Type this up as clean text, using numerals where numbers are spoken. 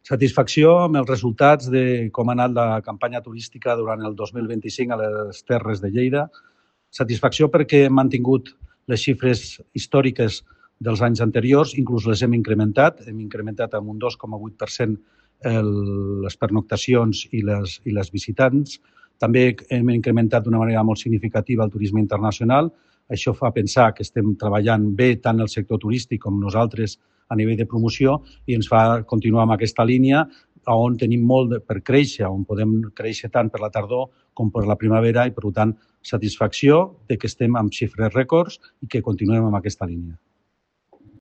Satisfacció amb els resultats de com ha anat la campanya turística durant el 2025 a les Terres de Lleida. Satisfacció perquè hem mantingut les xifres històriques dels anys anteriors, inclús les hem incrementat amb un 2,8% les pernoctacions i les visitants. També hem incrementat d'una manera molt significativa el turisme internacional. Això fa pensar que estem treballant bé tant el sector turístic com nosaltres a nivell de promoció i ens fa continuar amb aquesta línia on tenim molt per créixer, on podem créixer tant per la tardor com per la primavera i, per tant, satisfacció de que estem amb xifres rècords i que continuem amb aquesta línia.